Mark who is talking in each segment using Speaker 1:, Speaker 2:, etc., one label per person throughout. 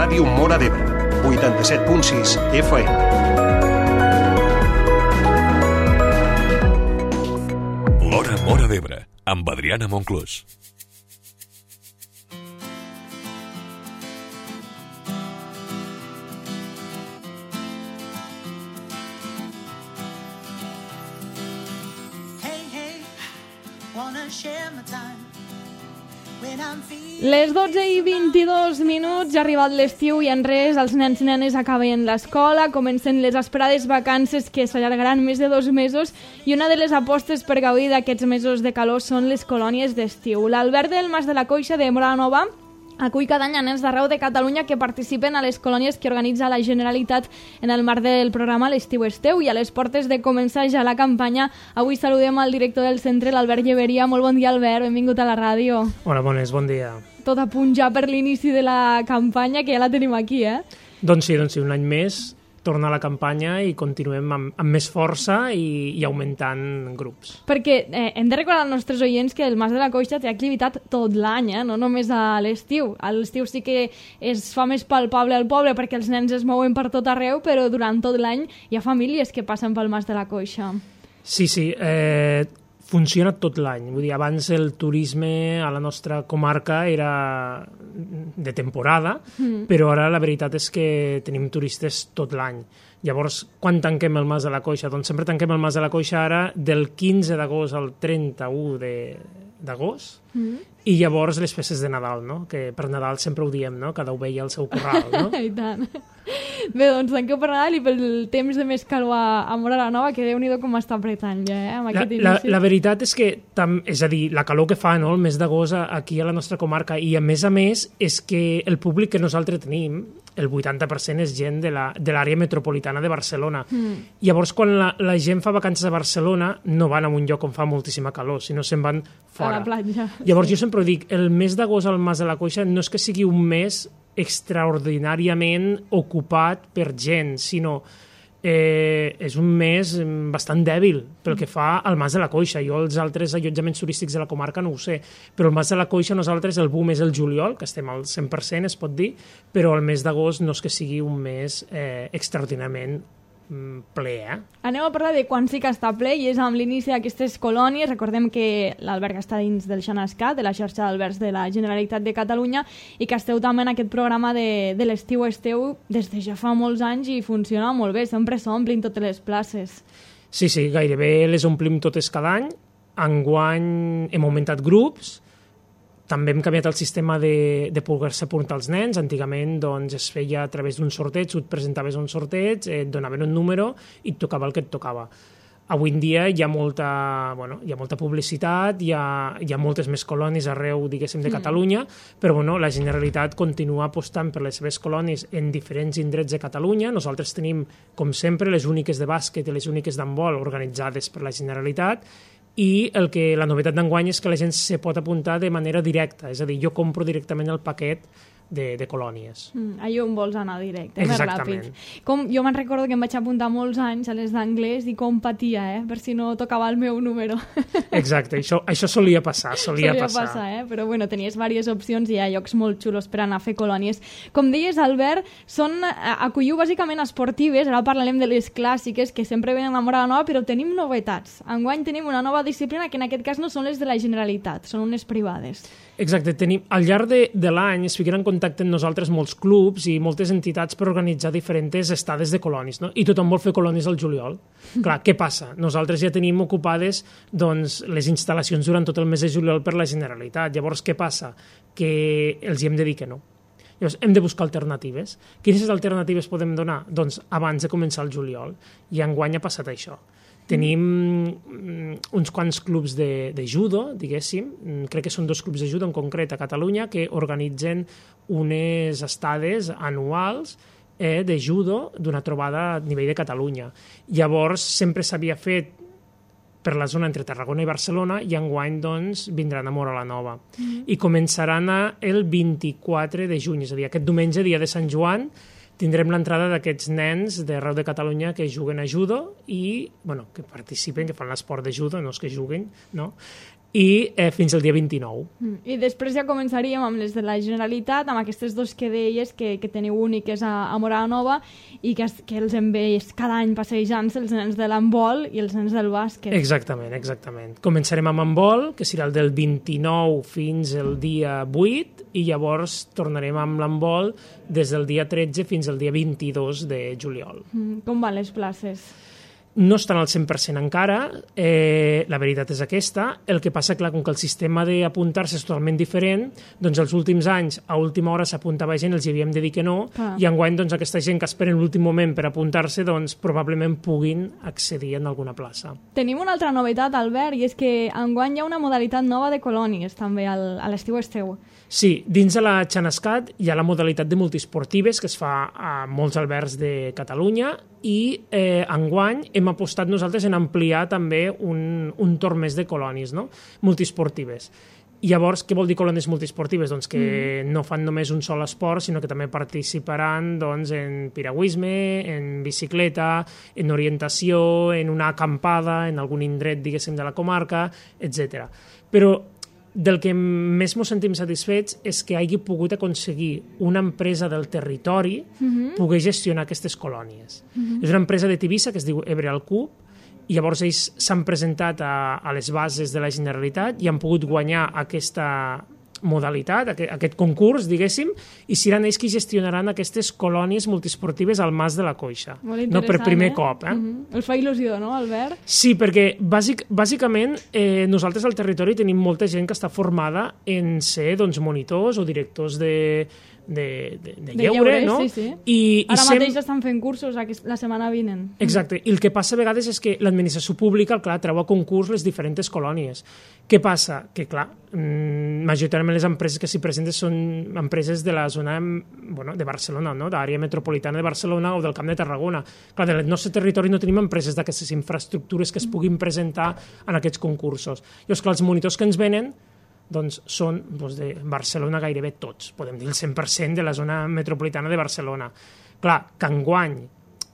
Speaker 1: Ràdio Móra d'Ebre, 87.6 FM.
Speaker 2: L'Hora Móra d'Ebre, amb Adriana Monclús.
Speaker 3: Les 12:22, ja ha arribat l'estiu i en res, els nens i nenes acaben l'escola, comencen les esperades vacances que s'allargaran més de 2 mesos i una de les apostes per gaudir d'aquests mesos de calor són les colònies d'estiu. L'Albert del Mas de la Coixa de Móra la Nova acull cada any a nens d'arreu de Catalunya que participen a les colònies que organitza la Generalitat en el marc del programa L'Estiu és teu, i a les portes de començar ja la campanya avui saludem al director del centre, l'Albert Lleveria. Molt bon dia, Albert, benvingut a la ràdio.
Speaker 4: Hola, bones, bon dia.
Speaker 3: Tot a punt ja per l'inici de la campanya, que ja la tenim aquí, eh?
Speaker 4: Doncs sí, un any més torna a la campanya i continuem amb més força i augmentant grups.
Speaker 3: Perquè hem de recordar als nostres oients que el Mas de la Coixa té activitat tot l'any, no només a l'estiu. A l'estiu sí que es fa més palpable al poble perquè els nens es mouen per tot arreu, però durant tot l'any hi ha famílies que passen pel Mas de la Coixa.
Speaker 4: Sí, funciona tot l'any. Vull dir, abans el turisme a la nostra comarca era de temporada, però ara la veritat és que tenim turistes tot l'any. Llavors, quan tanquem el Mas de la Coixa? Doncs sempre tanquem el Mas de la Coixa ara del 15 d'agost al 31 d'agost, i llavors les festes de Nadal, no? Que per Nadal sempre ho diem, no? Cada ovella al seu corral, no?
Speaker 3: I tant. Bé, doncs tanqueu per Nadal i pel temps de més calor a Móra la Nova, que Déu-n'hi-do com està apretant ja, amb aquest inici.
Speaker 4: La veritat és que, és a dir, la calor que fa, no?, el mes d'agost aquí a la nostra comarca, i a més és que el públic que nosaltres tenim, el 80% és gent de l'àrea metropolitana de Barcelona. Llavors, quan la gent fa vacances a Barcelona, no van a un lloc on fa moltíssima calor, sinó se'n van fora.
Speaker 3: A la platja.
Speaker 4: Llavors, jo sempre dic, el mes d'agost al Mas de la Coixa no és que sigui un mes extraordinàriament ocupat per gent, sinó és un mes bastant dèbil pel que fa al Mas de la Coixa. Jo els altres allotjaments turístics de la comarca no ho sé, però el Mas de la Coixa nosaltres el boom és el juliol, que estem al 100%, es pot dir, però el mes d'agost no és que sigui un mes extraordinàriament ple,
Speaker 3: Anem a parlar de quan sí que està ple, i és amb l'inici d'aquestes colònies. Recordem que l'alberg està dins del Xanascat, de la xarxa d'albergs de la Generalitat de Catalunya, i que esteu també en aquest programa de l'Estiu és teu des de ja fa molts anys i funciona molt bé, sempre s'omplin totes les places.
Speaker 4: Sí, gairebé les omplim totes cada any. Enguany hem augmentat grups, també hem canviat el sistema de poder-se apuntar els nens. Antigament doncs, es feia a través d'un sorteig, tu et presentaves un sorteig, et donaven un número i et tocava el que et tocava. Avui en dia hi ha molta publicitat, hi ha moltes més colònies arreu, diguéssim, de Catalunya, però la Generalitat continua apostant per les seves colònies en diferents indrets de Catalunya. Nosaltres tenim, com sempre, les úniques de bàsquet i les úniques d'handbol organitzades per la Generalitat, i la novetat d'enguany és que la gent se pot apuntar de manera directa, és a dir, jo compro directament el paquet de colònies.
Speaker 3: Allà on vols anar directe,
Speaker 4: exactament.
Speaker 3: Més ràpid. Jo me'n recordo que em vaig apuntar molts anys a les d'anglès i com patia, per si no tocava el meu número.
Speaker 4: Exacte, això solia passar.
Speaker 3: Però tenies diverses opcions i hi ha llocs molt xulos per anar a fer colònies. Com deies, Albert, acolliu bàsicament esportives, ara parlarem de les clàssiques que sempre venen a Móra la Nova, però tenim novetats. Enguany tenim una nova disciplina que en aquest cas no són les de la Generalitat, són unes privades.
Speaker 4: Exacte, al llarg de l'any es fiquen en contacte amb nosaltres molts clubs i moltes entitats per organitzar diferents estades de colònies, no? I tothom vol fer colònies al juliol. Clar, què passa? Nosaltres ja tenim ocupades les instal·lacions durant tot el mes de juliol per la Generalitat. Llavors, què passa? Que els hi hem de dir que no. Llavors, hem de buscar alternatives. Quines alternatives podem donar? Doncs abans de començar el juliol. I enguany ha passat això. Tenim uns quants clubs de judo, diguéssim, crec que són 2 clubs de judo en concret a Catalunya, que organitzen unes estades anuals de judo d'una trobada a nivell de Catalunya. Llavors, sempre s'havia fet per la zona entre Tarragona i Barcelona, i enguany doncs, vindran a Móra la Nova. I començaran el 24 de juny, és a dir, aquest diumenge, dia de Sant Joan, tindrem l'entrada d'aquests nens d'arreu de Catalunya que juguen a judo i, que participen, que fan l'esport de judo, no és que juguen, no? i fins al dia 29.
Speaker 3: I després ja començaríem amb les de la Generalitat, amb aquestes dos que deies que teniu úniques a Móra la Nova i que els hem vist cada any passejant-se, els nens de l'handbol i els nens del bàsquet.
Speaker 4: Exactament. Començarem amb handbol, que serà el del 29 fins al dia 8, i llavors tornarem amb l'handbol des del dia 13 fins al dia 22 de juliol.
Speaker 3: Com van les places?
Speaker 4: No estan al 100% encara, la veritat és aquesta. El que passa, clar, com que el sistema d'apuntar-se és totalment diferent, doncs els últims anys, a última hora s'apuntava gent, els hi havíem de dir que no, i enguany doncs, aquesta gent que espera l'últim moment per apuntar-se, doncs probablement puguin accedir en alguna plaça.
Speaker 3: Tenim una altra novetat, Albert, i és que enguany hi ha una modalitat nova de colònies, també, a l'estiu esteu.
Speaker 4: Sí, dins de la Xanascat hi ha la modalitat de multiesportives que es fa a molts albergs de Catalunya i enguany hem apostat nosaltres en ampliar també un torn més de colònies, no? Multiesportives. Llavors, què vol dir colònies multiesportives? Doncs que no fan només un sol esport, sinó que també participaran doncs, en piragüisme, en bicicleta, en orientació, en una acampada, en algun indret, diguéssim, de la comarca, etc. Però del que més ens sentim satisfets és que hagi pogut aconseguir una empresa del territori poder gestionar aquestes colònies. És una empresa de Tivissa que es diu Ebre al Cub, i llavors ells s'han presentat a les bases de la Generalitat i han pogut guanyar aquesta modalitat, aquest concurs, diguéssim, i seran ells qui gestionaran aquestes colònies multiesportives al Mas de la Coixa. No per primer cop.
Speaker 3: Els fa il·lusió, no, Albert?
Speaker 4: Sí, perquè bàsicament nosaltres al territori tenim molta gent que està formada en ser monitors o directors de lleure, no?
Speaker 3: Sí.
Speaker 4: I
Speaker 3: ara mateix estan fent cursos la setmana vinent.
Speaker 4: Exacte, i el que passa a vegades és que l'administració pública, clar, treu a concurs les diferents colònies. Què passa? Que, clar, majoritàriament les empreses que s'hi presenten són empreses de la zona de Barcelona, no? D'àrea metropolitana de Barcelona o del Camp de Tarragona. Clar, del nostre territori no tenim empreses d'aquestes infraestructures que es puguin presentar en aquests concursos. Llavors, clar, els monitors que ens venen doncs són de Barcelona gairebé tots, podem dir el 100% de la zona metropolitana de Barcelona. Clar, que enguany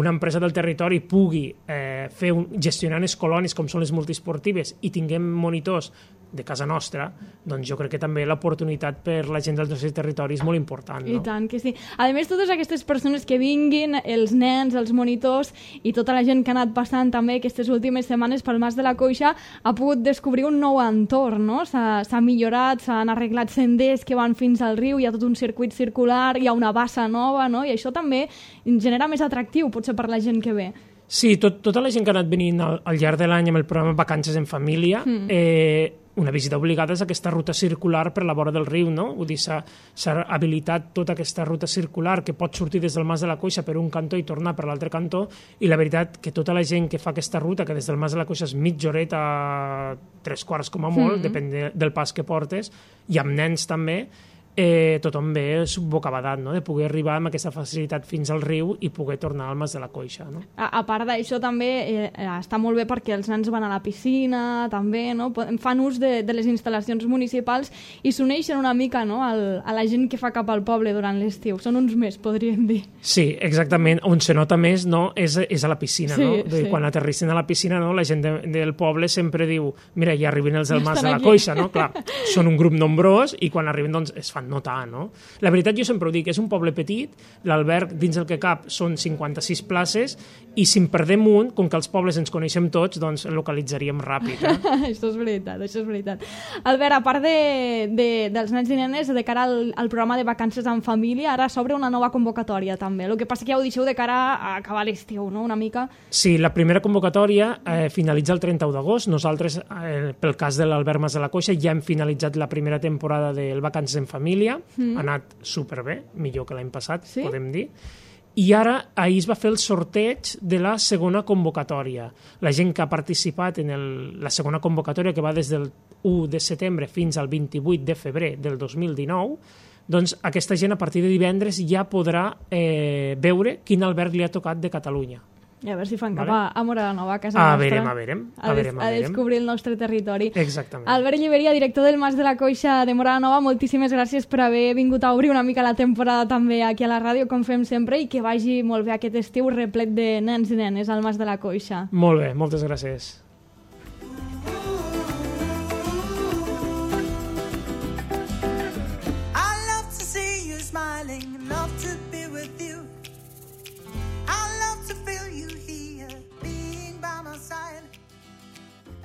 Speaker 4: una empresa del territori pugui gestionar les colònies com són les multiesportives i tinguem monitors de casa nostra, doncs jo crec que també l'oportunitat per la gent del nostre territori és molt important. No?
Speaker 3: I tant que sí. A més, totes aquestes persones que vinguin, els nens, els monitors i tota la gent que ha anat passant també aquestes últimes setmanes pel Mas de la Coixa ha pogut descobrir un nou entorn, no? S'ha millorat, s'han arreglat senders que van fins al riu, hi ha tot un circuit circular, hi ha una bassa nova, no? I això també genera més atractiu, potser per la gent que ve.
Speaker 4: Sí, tota la gent que ha anat venint al llarg de l'any amb el programa Vacances en Família, una visita obligada és aquesta ruta circular per la vora del riu, no? Vull dir, s'ha habilitat tota aquesta ruta circular que pot sortir des del Mas de la Coixa per un cantó i tornar per l'altre cantó, i la veritat que tota la gent que fa aquesta ruta, que des del Mas de la Coixa és mitja horeta, 3/4 com a molt, depèn del pas que portes, i amb nens també, tothom ve bocabadat, no? De poder arribar amb aquesta facilitat fins al riu i poder tornar al Mas de la Coixa. No?
Speaker 3: A part d'això també està molt bé perquè els nens van a la piscina, també, no? Fan ús de les instal·lacions municipals i s'uneixen una mica, no? A la gent que fa cap al poble durant l'estiu. Són uns més, podríem dir.
Speaker 4: Sí, exactament. On se nota més, no? És a la piscina,
Speaker 3: sí,
Speaker 4: no?
Speaker 3: Sí.
Speaker 4: Quan aterrissen a la piscina, no? La gent del poble sempre diu, mira, ja arriben els del Mas de la Coixa, no? Clar, són un grup nombrós i quan arriben, doncs, es fan notar, no? La veritat, jo sempre ho dic, és un poble petit, l'alberg dins el que cap són 56 places i si en perdem un, com que els pobles ens coneixem tots, doncs el localitzaríem ràpid.
Speaker 3: Això és veritat. Albert, a part dels nens i nenes, de cara al programa de Vacances en Família, ara s'obre una nova convocatòria també. El que passa que ja ho deixeu de cara a acabar l'estiu, no? Una mica... Sí,
Speaker 4: la primera convocatòria finalitza el 31 d'agost. Nosaltres, pel cas de l'Albert Mas de la Coixa, ja hem finalitzat la primera temporada del Vacances en Família. Ha anat superbé, millor que l'any passat, sí? Podem dir. I ara, ahir es va fer el sorteig de la segona convocatòria. La gent que ha participat en la segona convocatòria, que va des del 1 de setembre fins al 28 de febrer del 2019, doncs aquesta gent a partir de divendres ja podrà veure quin alberg li ha tocat de Catalunya.
Speaker 3: I a veure si fan cap a Móra la Nova, a casa nostra.
Speaker 4: A veurem.
Speaker 3: A descobrir el nostre territori.
Speaker 4: Exactament.
Speaker 3: Albert Lliberia, director del Mas de la Coixa de Móra la Nova, moltíssimes gràcies per haver vingut a obrir una mica la temporada també aquí a la ràdio, com fem sempre, i que vagi molt bé aquest estiu replet de nens i nenes al Mas de la Coixa.
Speaker 4: Molt bé, moltes gràcies.
Speaker 5: love to be with you. I love to feel you here, being by my side.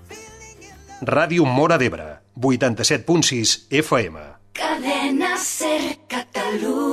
Speaker 5: Feeling in love.
Speaker 1: Ràdio Móra d'Ebre, 87.6 FM.
Speaker 6: Cadena Ser Catalunya.